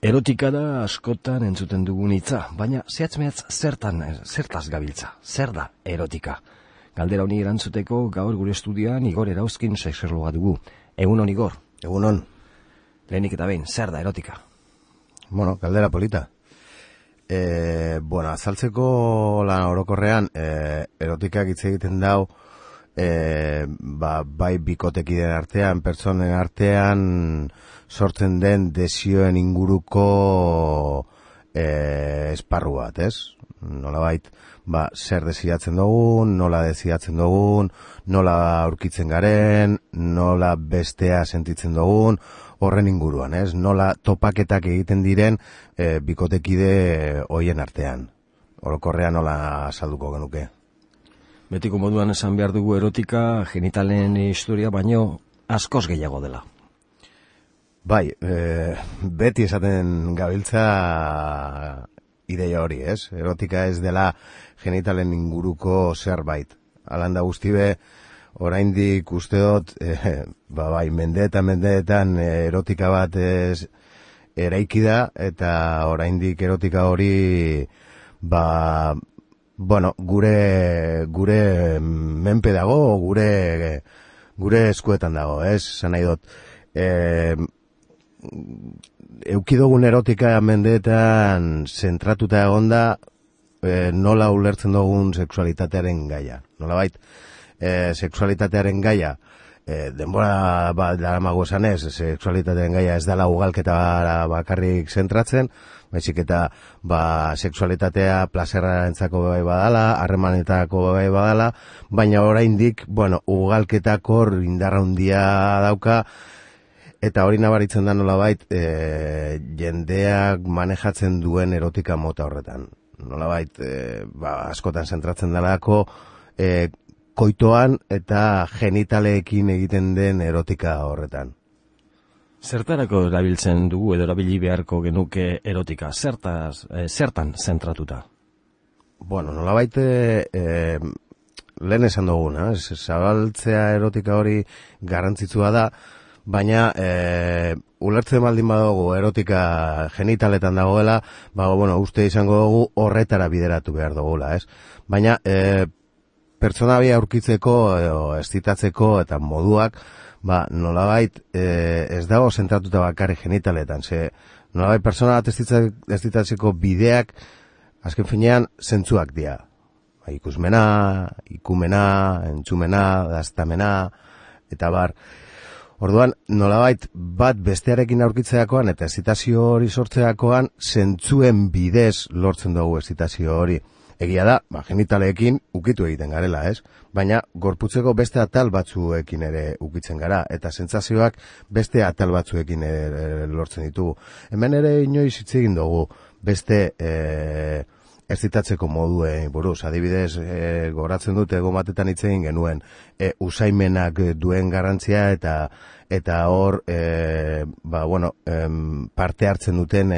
Erotika da askotan entzuten dugun hitza, baina zehatz-mehatz zertaz gabiltza, zer da erotika? Galdera honi erantzuteko gaur gure estudioan Igor Erauzkin sexologa dugu. Egunon, Igor. Egunon. Lehenik eta behin, zer da erotika? Bueno, galdera polita. Azaltzeko lan orokorrean, erotikak hitz egiten dau, bai bikotekideen artean, pertsonen artean, sortzen den desioen inguruko esparru bat, ez? Nolabait, zer desiatzen dugun, nola desiatzen dugun, nola aurkitzen garen, nola bestea sentitzen dugun, horren inguruan, ez? Nola topaketak egiten diren bikotekide hoien artean. Orokorrean nola azalduko genuke. Betiko moduan esan behar dugu erotika genitalen historia baino askoz gehiago dela. Bai, beti esaten gabiltza ideia hori, ez? Erotika ez dela genitalen inguruko zerbait. Alanda guztibe, oraindik uste dut, mendeetan erotika bat eraiki da, eta oraindik erotika hori, gure menpe dago, gure eskuetan dago, ez? Zan nahi dut, eukidogun erotika mendeetan zentratuta egonda, nola ulertzen dugun sexualitatearen gaia. Nolabait, sexualitatearen gaia, denbora daramago esan ez, sexualitatearen gaia ez dela ugalketa bakarrik zentratzen, baizik eta sexualitatea plazerrarentzako bai badala, harremanetako bai badala, baina oraindik, ugalketak hor indarra handia dauka, eta hori nabaritzen da nolabait jendeak manejatzen duen erotika mota horretan. Nolabait, askotan zentratzen dalako koitoan eta genitaleekin egiten den erotika horretan. Zertarako erabiltzen dugu edo erabili beharko genuke erotika? Zertan zentratuta? Nolabait lehen esan duguna, zabaltzea erotika hori garrantzitsua da, baina ulertzen baldin badugu erotika genitaletan dagoela, uste izango dugu horretara bideratu behar dugula, ez? Baina pertsona bi aurkitzeko edo estitatzeko eta moduak, nolabait ez dago zentratuta bakarri genitaletan, nolabait pertsona bat estitatzeko bideak azken finean zentzuak dira. Ikusmena, ikumena, entzumena, daztamena, eta bar. Orduan, nolabait bat bestearekin aurkitzeakoan eta excitazio hori sortzeakoan zentzuen bidez lortzen dugu excitazio hori. Egia da, genitaleekin ukitu egiten garela, ez? Baina gorputzeko beste atal batzuekin ere ukitzen gara, eta sentsazioak beste atal batzuekin ere lortzen ditugu. Hemen ere inoiz hitz egin dugu beste excitatzeko moduen buruz. Adibidez, goratzen dute egon batetan hitz egin genuen usaimenak duen garrantzia eta hor parte hartzen duten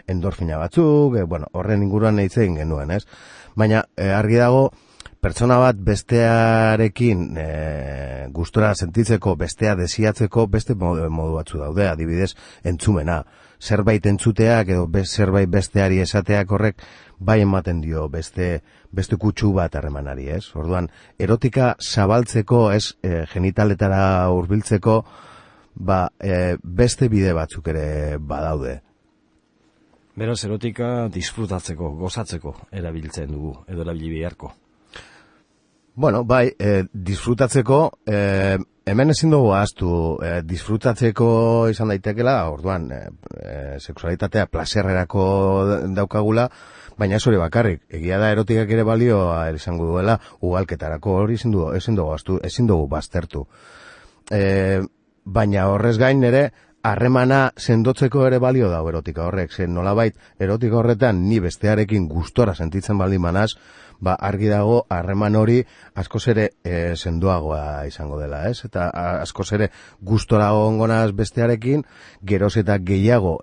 endorfina batzuk, horren inguruan hitz egin genuen, ez? Baina argi dago pertsona bat bestearekin gustora sentitzeko, bestea desiatzeko beste modu batzu daude, adibidez entzumena. Zerbait entzuteak edo zerbait besteari esateak horrek bai ematen dio beste kutsu bat harremanari, ez? Orduan, erotika zabaltzeko, ez, genitaletara hurbiltzeko, beste bide batzuk ere badaude. Beraz, erotika disfrutatzeko, gozatzeko erabiltzen dugu, edo erabili beharko. Disfrutatzeko, hemen ezin dugu ahaztu, disfrutatzeko izan daitekela, orduan, sexualitatea plazerrerako daukagula, baina ez hori bakarrik, egia da erotikak ere balioa izango duela, ugalketarako hori ezin dugu baztertu. Baina horrez gain ere, harremana sendotzeko ere balio dago erotika horrek, nolabait erotika horretan ni bestearekin gustora sentitzen baldin manaz, argi dago harreman hori askoz ere sendoagoa izango dela, ez? Eta askoz ere gustora egongonaz bestearekin, geroz eta gehiago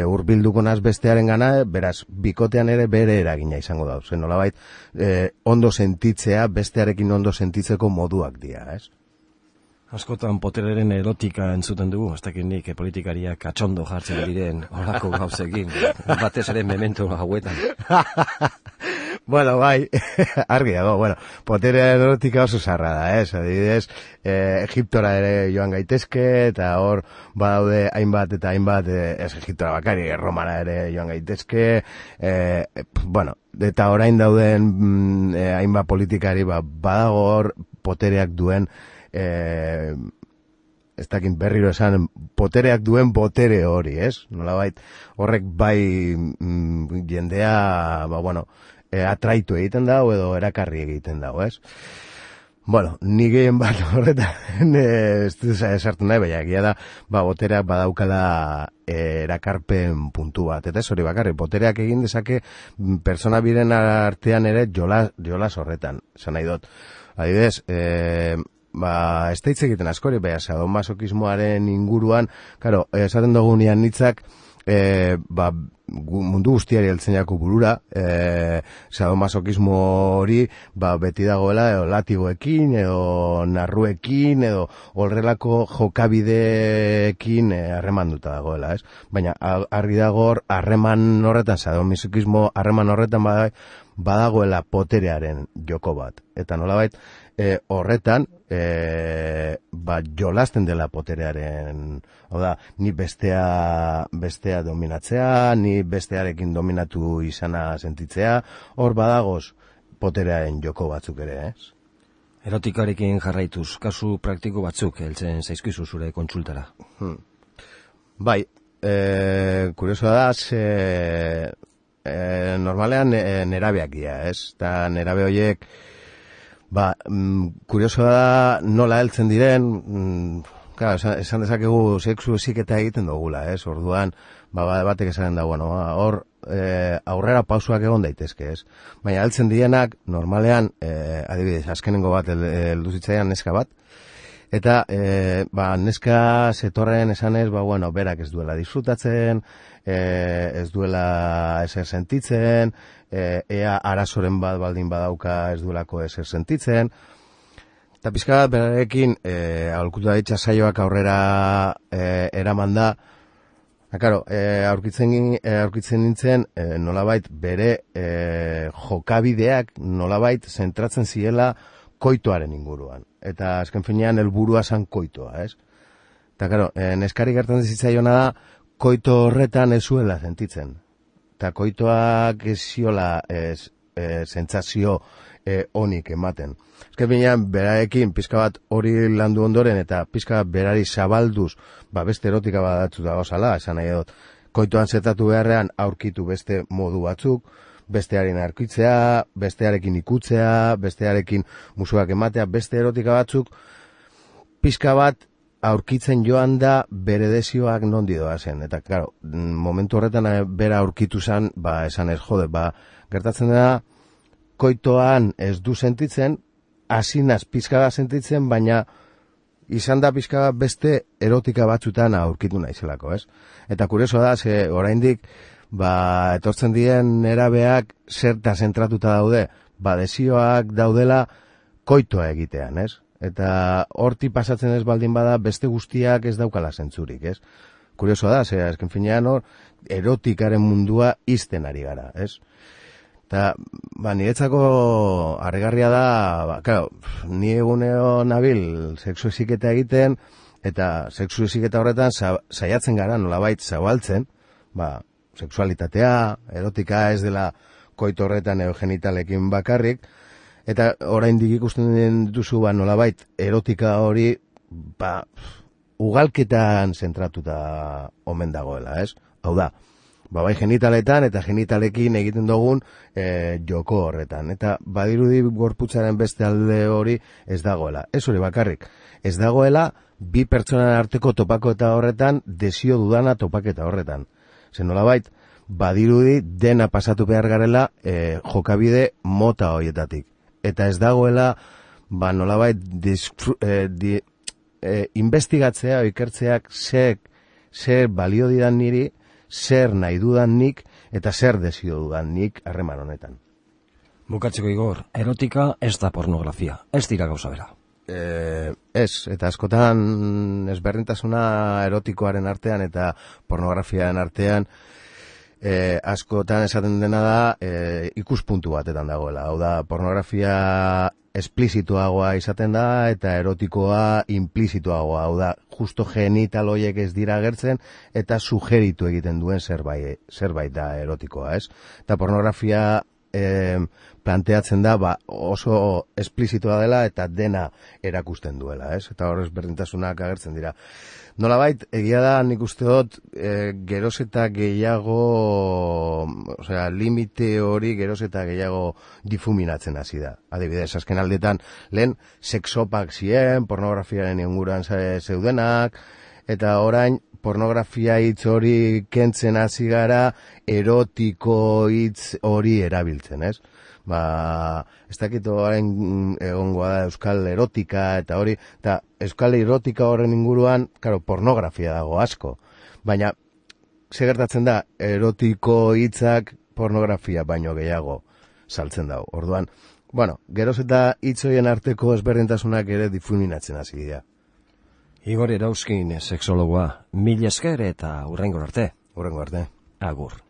hurbilduko naz bestearen gana, beraz, bikotean ere bere eragina izango da. Nolabait ondo sentitzea, bestearekin ondo sentitzeko moduak dira, ez? Askotan potereren erotika entzuten dugu, ez dakit nik politikariak atxondo jartzen diren horako gauzekin, batez ere memento hauetan. Bueno, bai, argi dago, bueno, potereren erotika oso zarra da, adibidez, Egiptora ere joan gaitezke, eta hor badaude hainbat eta hainbat, ez Egiptora bakari, Romara ere joan gaitezke, bueno, eta orain dauden hainbat politikari, badago hor potereak duen, ez dakit berriro esan, potereak duen botere hori, ez? Nolabait, horrek bai jendea, bueno, atraitu egiten dago edo erakarri egiten dago, ez? Bueno, ni gehien bat horretan ez esartu nahi, baina egia da, botereak badaukala erakarpen puntu bat, eta ez hori bakarri, botereak egin dezake persona biren artean ere jolas horretan, esan nahi dut. Adibidez, ez da hitz egiten askori, baina sadomasokismoaren inguruan, karo, esaten dugunean hitzak, mundu guztiari heltzen jako burura, sadomasokismo hori beti dagoela edo latigoekin edo narruekin edo horrelako jokabideekin harremanduta dagoela, ez? Baina argi dago harreman horretan, sadomasokismo harreman horretan badagoela poterearen joko bat. Eta nolabait horretan jolasten dela poterearen, hau da, ni bestea dominatzea, ni bestearekin dominatu izana sentitzea, hor badagoz poterearen joko batzuk ere, ez? Erotikarekin jarraituz, kasu praktiko batzuk heltzen zaizkizu zure kontsultara. Bai, kuriosoa da, normalean nerabeak dira, ez? Eta nerabe horiek, kuriosoa da nola heltzen diren, esan dezakegu sexu heziketa egiten dugula, ez? Orduan, batek esaten da, bueno, hor aurrera pausuak egon daitezke, ez? Baina heltzen direnak, normalean, adibidez, azkenengo bat heldu zitzaidan neska bat, eta neska zetorren esanez, bueno, berak ez duela disfrutatzen, ez duela ezer sentitzen, ea arazoren bat baldin badauka ez duelako ezer sentitzen, eta pizka bat berarekin aholkutu da ditza saioak aurrera eraman da, claro, aurkitzen nintzen nolabait bere jokabideak nolabait zentratzen ziela koitoaren inguruan. Eta azken finean helburua zan koitoa, ez? Eta, claro, neskari gertan zitzaiona da, koito horretan ez zuela sentitzen. Eta koitoak ez ziola sentsazio onik ematen. Azken finean, berarekin pizka bat hori landu ondoren eta pizka bat berari zabalduz, beste erotika badatzu da gozala, esan nahi dut, koitoan zetatu beharrean aurkitu beste modu batzuk, bestearen aurkitzea, bestearekin ikutzea, bestearekin musuak ematea, beste erotika batzuk, pizka bat aurkitzen joan da bere desioak nondi doazen. Eta, claro, momentu horretan bera aurkitu zen, esan ez jode, gertatzen da, koitoan ez du sentitzen, hasinaz pizka bat sentitzen, baina izan da pizka bat beste erotika batzutan aurkitu naizelako, ez? Eta kurioso da, oraindik, etortzen diren nerabeak zerta zentratuta daude, desioak daudela koitoa egitean, ez? Eta horti pasatzen ez baldin bada beste guztiak ez daukala zentzurik, ez? Kurioso da, azken finean hor erotikaren mundua izten ari gara, ez? Eta, niretzako harrigarria da, claro, ni egunero nabil sexu heziketa egiten, eta sexu heziketa horretan saiatzen gara nolabait zabaltzen, sexualitatea, erotika ez dela koito horretan edo genitalekin bakarrik, eta oraindik ikusten duzu nolabait erotika hori ugalketan zentratuta omen dagoela, ez? Hau da, bai genitaletan eta genitalekin egiten dugun joko horretan. Eta badirudi gorputzaren beste alde hori ez dagoela. Ez hori bakarrik. Ez dagoela bi pertsonan arteko topaketa horretan, desio dudana topaketa horretan. Zen nolabait, badirudi dena pasatu behar garela jokabide mota horietatik. Eta ez dagoela, nolabait, investigatzea, ikertzeak zer balio didan niri, zer nahi dudan nik, eta zer desio dudan nik harreman honetan. Bukatzeko Igor, erotika ez da pornografia, ez dira gauza bera. Ez, eta askotan ezberdintasuna erotikoaren artean eta pornografiaren artean askotan esaten dena da ikuspuntu batetan dagoela. Hau da, pornografia esplizituagoa izaten da eta erotikoa implizituagoa. Hau da, justo genital horiek ez dira agertzen eta sugeritu egiten duen zerbait da erotikoa, ez? Eta pornografia planteatzen da oso esplizitua dela eta dena erakusten duela, ez? Eta horrez berdintasunak agertzen dira. Nolabait, egia da, nik uste dut, geroz eta gehiago, limite hori geroz eta gehiago difuminatzen hasi da. Adibidez, azken aldetan, lehen sexopak ziren, pornografiaren inguruan zeudenak, eta orain, pornografia hitz hori kentzen hasi gara, erotiko hitz hori erabiltzen, ez? Ez dakit orain egongoa da euskal erotika eta hori, eta euskal erotika horren inguruan, claro, pornografia dago asko. Baina, ze gertatzen da, erotiko hitzak pornografia baino gehiago saltzen dago. Orduan, geroz eta hitz horien arteko ezberdintasunak ere difuminatzen hasi dira. Igor Erauzkin, sexologoa, mila esker eta hurrengo arte. Hurrengo arte. Agur.